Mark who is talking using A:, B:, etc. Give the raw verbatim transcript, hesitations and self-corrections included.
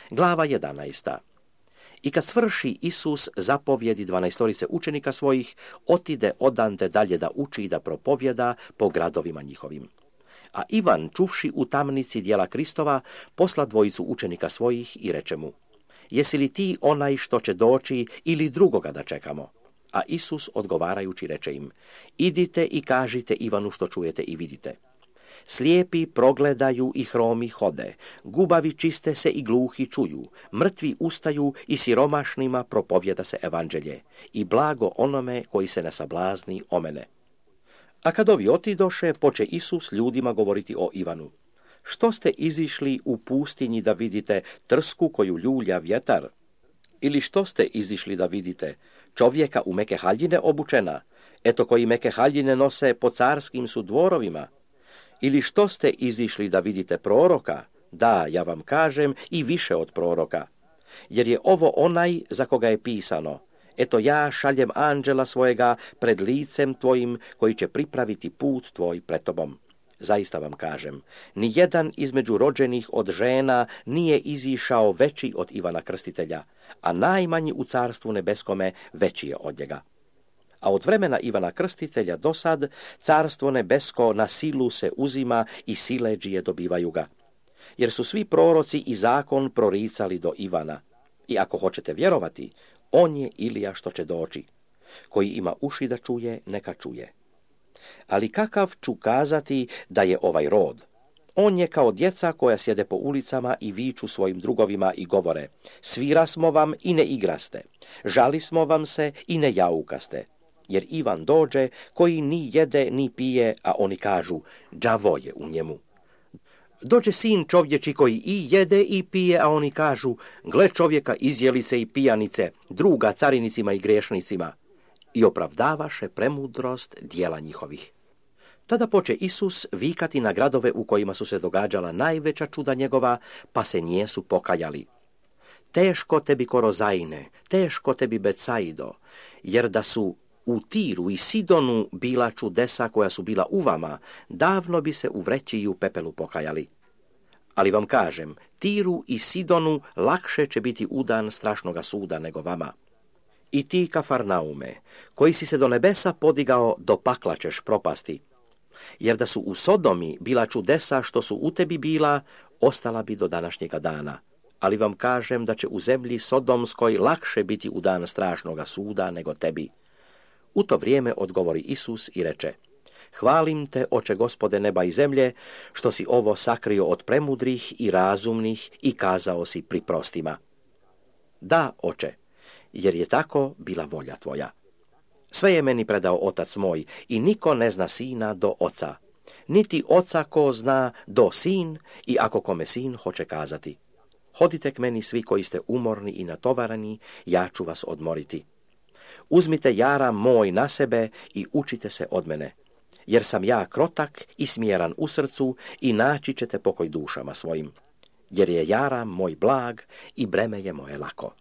A: Glava jedanaesta. I kad svrši Isus zapovjedi dvanaestorice učenika svojih, otide odande dalje da uči i da propovjeda po gradovima njihovim. A Ivan, čuvši u tamnici djela Kristova, posla dvojicu učenika svojih i reče mu: Jesi li ti onaj što će doći ili drugoga da čekamo? A Isus odgovarajući reče im: Idite i kažite Ivanu što čujete i vidite. Slijepi progledaju i hromi hode, gubavi čiste se i gluhi čuju, mrtvi ustaju i siromašnima propovjeda se evanđelje, i blago onome koji se ne sablazni o mene. A kad ovi otidoše, poče Isus ljudima govoriti o Ivanu. Što ste izišli u pustinji da vidite trsku koju ljulja vjetar? Ili što ste izišli da vidite čovjeka u meke haljine obučena, eto koji meke haljine nose po carskim su dvorovima? Ili što ste izišli da vidite proroka? Da, ja vam kažem, i više od proroka. Jer je ovo onaj za koga je pisano: Eto ja šaljem anđela svojega pred licem tvojim, koji će pripraviti put tvoj pred tobom. Zaista vam kažem, ni jedan između rođenih od žena nije izišao veći od Ivana Krstitelja, a najmanji u carstvu nebeskome veći je od njega. A od vremena Ivana Krstitelja do sad, carstvo nebesko na silu se uzima i siledžije dobivaju ga. Jer su svi proroci i zakon proricali do Ivana. I ako hoćete vjerovati, on je Ilija što će doći. Koji ima uši da čuje, neka čuje. Ali kakav ću kazati da je ovaj rod? On je kao djeca koja sjede po ulicama i viču svojim drugovima i govore: Svira smo vam i ne igraste, žali smo vam se i ne jaukaste. Jer Ivan dođe koji ni jede ni pije, a oni kažu: đavo je u njemu. Dođe sin čovječi koji i jede i pije, a oni kažu: gle čovjeka izjelice i pijanice, druga carinicima i grešnicima. I opravdavaše premudrost dijela njihovih. Tada poče Isus vikati na gradove u kojima su se događala najveća čuda njegova, pa se njesu pokajali. Teško tebi Korozajne, teško tebi Becaido, jer da su u Tiru i Sidonu bila čudesa koja su bila u vama, davno bi se u vreći i u pepelu pokajali. Ali vam kažem, Tiru i Sidonu lakše će biti udan strašnoga suda nego vama. I ti, Kafarnaume, koji si se do nebesa podigao, do pakla ćeš propasti. Jer da su u Sodomi bila čudesa što su u tebi bila, ostala bi do današnjega dana. Ali vam kažem da će u zemlji Sodomskoj lakše biti u dan strašnoga suda nego tebi. U to vrijeme odgovori Isus i reče: Hvalim te, oče Gospode neba i zemlje, što si ovo sakrio od premudrih i razumnih i kazao si pri prostima. Da, oče, jer je tako bila volja tvoja. Sve je meni predao otac moj i niko ne zna sina do oca, niti oca ko zna do sin i ako kome sin hoće kazati. Hodite k meni svi koji ste umorni i natovarani, ja ću vas odmoriti. Uzmite jaram moj na sebe i učite se od mene, jer sam ja krotak i smjeran u srcu i naći ćete pokoj dušama svojim. Jer je jaram moj blag i breme je moje lako.